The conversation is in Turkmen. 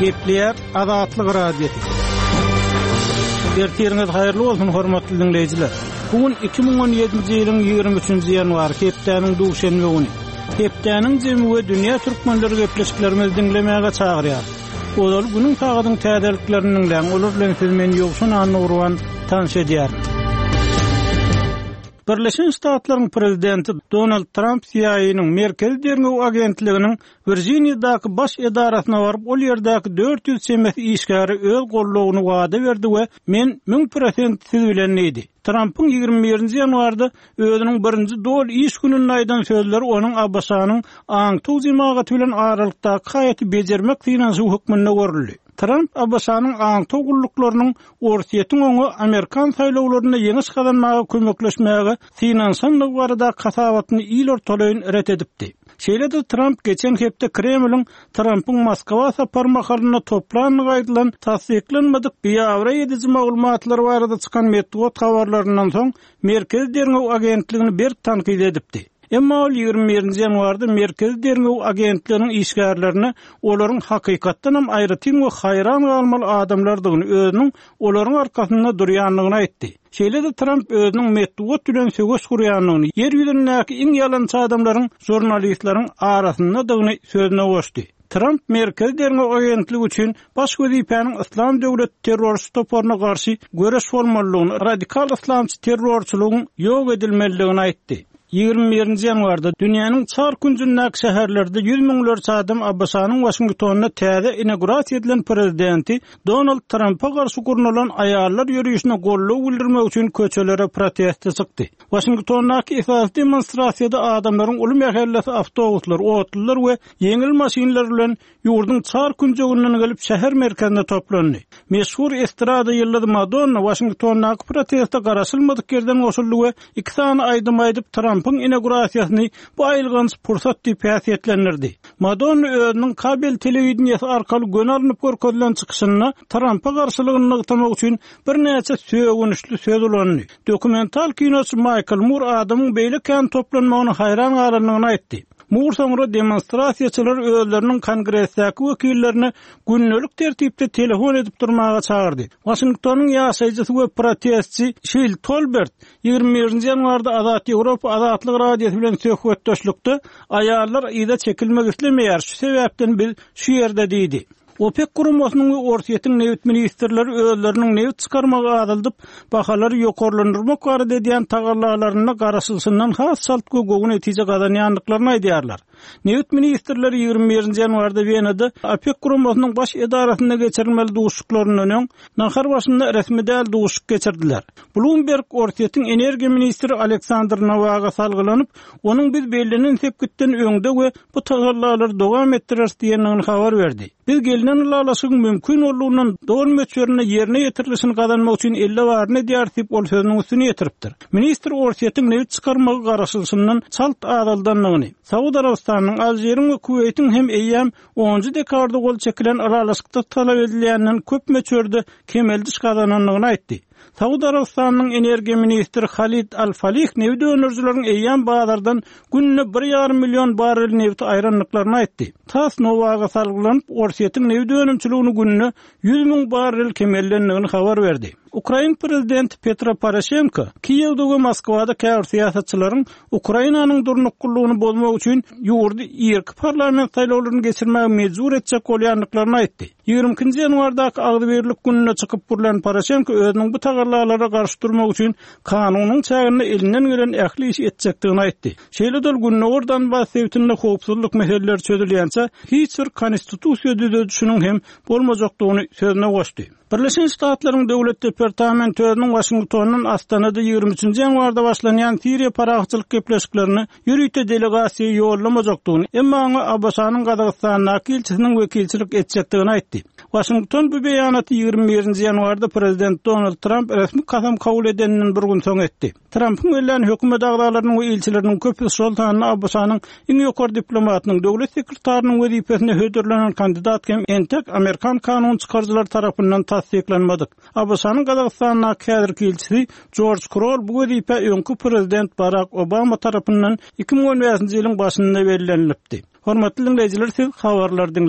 Gepleýär Azatlyk Radiosy. Ertiriňiz haýyrly bolsun, hormatly diňleýjiler. Bu gün 2017-nji ýylyň 23-nji ýanwary, hepdäniň duşenbe güni. Hepdäniň jemi we dünýä türkmenleri gepleşiklerimizi diňlemäge çagyrýar. Ozal günüň sagadyň täzeliklerini diňläň, olar bilen sizi men Ýowşan Annagurban tanyş edýärin. Birleşen Ştatlaryň prezidenti Donald Tramp CIA-nyň Merkezi derňew agentliginiň Wirjiniýadaky baş edarasyna baryp, ol ýerdäki 400 çemesi işgäre öz goldawyny wada berdi we Men 1000% siz bilen diýdi. Trampyň 21-nji ýanwarda özüniň birinji doly iş gününde aýdan sözleri onuň ABŞ-nyň aňtaw jemagaty bilen aralykdaky haýaty bejermek synanyşygy hökmünde görüldi. Tramp ABŞ-nyň aňtaw gulluklarynyň Orsýetiň oňa amerikan saýlawlarynda ýeňiş gazanmaga kömekleşmäge synanyşandygy baradaky hasabatyny il ortalaýyn ret edipdi. Şeýle-de Tramp geçen hepde Kremliň Trampyň Moskwa sapary mahalynda toplandygy aýdylan tassyklanmadyk biabraý ediji maglumatlar barada çykan metbugat habarlaryndan soň Merkezi derňew agentligini berk tankyt edipdi. Emma ol 21-nji ýanwarda Merkezi derňew agentliginiň işgärlerine olaryň hakykatdanam aýratyn we haýran galmaly adamlardygyny, özüniň olaryň arkasynda durýandygyny aýtdy. Şeýle-de Tramp özüniň metbugat bilen söweş gurýandygyny, ýer ýüzündäki iň ýalançy adamlaryň žurnalistleriň arasyndadygyny sözüne goşdy. Tramp Merkezi derňew agentligi üçin baş wezipäniň Yslam döwleti terrorçy toparyna garşy göreş bolmalydygyny, radikal yslamçy terrorçylygyň ýok edilmelidigini aýtdy. 21-nji ýanwarda dünýäniň çar künjündäki şäherlerde ýüz müňlerçe adam ABŞ-nyň Waşingtonynda täze inaugurasiýa edilen prezidenti Donald Trampa garşy gurnalan aýallar ýörişine goldaw bildirmek üçin köçelere proteste çykdy. Waşingtondaky esasy demonstrasiýada adamlaryň uly mähellesi awtobuslar, otlular we ýeňil maşynlar bilen ýurduň çar künjeginden gelip şäher merkezine toplandy. Meşhur estrada ýyldyzy Madonna Waşingtondaky proteste garaşylmadyk ýerden goşuldy we iki sany aýdym aýdyp, Trampyň inaugurasiýasyny bu aýylganç pursat diýip häsiýetlendirdi. Madonna özüniň kabel telewideniýesi arkaly göni alnyp görkezilen çykyşynda Trampa garşylygyny nygtamak üçin birnäçe sögünçli söz ulandy. Dokumental kinoçy Maýkl Mur adamyň beýle kän toplanmagyna haýran galandygyny aýtdy. Mur soňra demonstrasiýaçylary özleriniň Kongresdäki wekillerine gündelik tertipde telefon edip durmaga çagyrdy. Waşingtonyň ýaşaýjysy we protestçi Şil Tolbert 21-nji ýanwarda Azat Ýewropa Azatlyk Radiosy bilen söhbetdeşlikde Aýallar yza çekilmek islemeýär, şu sebäpden biz şu ýerde diýdi. OPEK guramasynyň we Orsýetiň nebit ministrleri özleriniň nebit çykarmagy azaldyp, bahalary ýokarlandyrmak barada edýän tagallalarynda garaşylyşyndan has çalt we gowy netije gazanýandyklaryny aýdýarlar. Nebit ministrleri 21-nji ýanwarda Wenada OPEK guramasynyň baş edarasynda geçirilmeli duşuşyklaryndan öň, nahar başynda resmi däl duşuşyk geçirdiler. Bloomberg Orsýetiň energiýa ministri Aleksandr Nowaga salgylanyp, Onuň biz bellenen sepgitden öňde we bu tagallalary dowam etdireris diýendigini habar berdi. Biz gelnen ylalaşygyň mümkin boldugyndan doly möçberinde ýerine ýetirilişini gazanmak üçin elde baryny edýäris diýip, ol sözüniň üstüni ýetiripdir. Ministr Orsýetiň nebit çykarmagy garaşylyşyndan çalt azaldandygyny, Saud Arabystanynyň, Alžiriň we Kuweýtiň hem eýýäm onunjy dekabrda gol çekilen ylalaşykda talap edilýänden köp möçberde kemeldiş gazanandygyny aýtdy. Saud Arabystanynyň energiýa ministri Halid Al-Falih nebit öndürijileriň eýýäm bazardan günde bir ýarym million barrel nebiti aýrandyklaryny aýtdy. Tass Nowaga salgylanyp, Orsýetiň nebit önümçiligini günde 100 müň barrel kemeldendigini habar berdi. Ukrain prezidenti Petro Poroşenko Kiýewde we Moskwada käbir syýasatçylaryň Ukrainanyň durnuklylygyny bozmak üçin ýurdy irki parlament saýlawlaryny geçirmäge mejbur etjek bolýandyklaryny aýtdy. 22-nji ýanwardaky Agzybirlik gününde çykyp gürlän Poroşenko özüniň bu tagallalara garşy durmak üçin kanunyň çäginde elinden gelen ähli işi etjekdigini aýtdy. Şeýle-de ol Gündogar Donbas sebitinde howpsuzlyk meseleleri çözülýänçä hiç bir konstitusiýa düzedişiniň hem bolmajakdygyny sözüne goşdy. Birleşen Ştatlaryň Döwlet departamenti özüniň Waşingtondan Astanada 23-nji ýanwarda başlanýan Siriýa parahatçylyk gepleşiklerine ýörite delegasiýa ýollamajakdygyny, emma oňa ABŞ-nyň Gazagystandaky ilçisiniň wekilçilik etjekdigini aýtdy. Waşington bu beýanaty 21-nji ýanwarda prezident Donald Tramp resmi kasam kabul edeninden bir gün soň etdi. Trampyň bellän hökümet agzalarynyň we ilçileriniň köpüsi, şol sanda ABŞ-nyň iň ýokary diplomatynyň, döwlet sekretarynyň wezipesine hödürlenen kandidat hem entek amerikan kanun çykaryjylary tarapyndan tassyklanmadyk. ABŞ-nyň Gazagystandaky häzirki ilçisi Jorj Krol bu wezipä öňki prezident Barak Obama tarapyndan 2015-nji ýylyň başynda bellenilipdi. Hormatly diňleýjiler, siz habarlary diňlediňiz.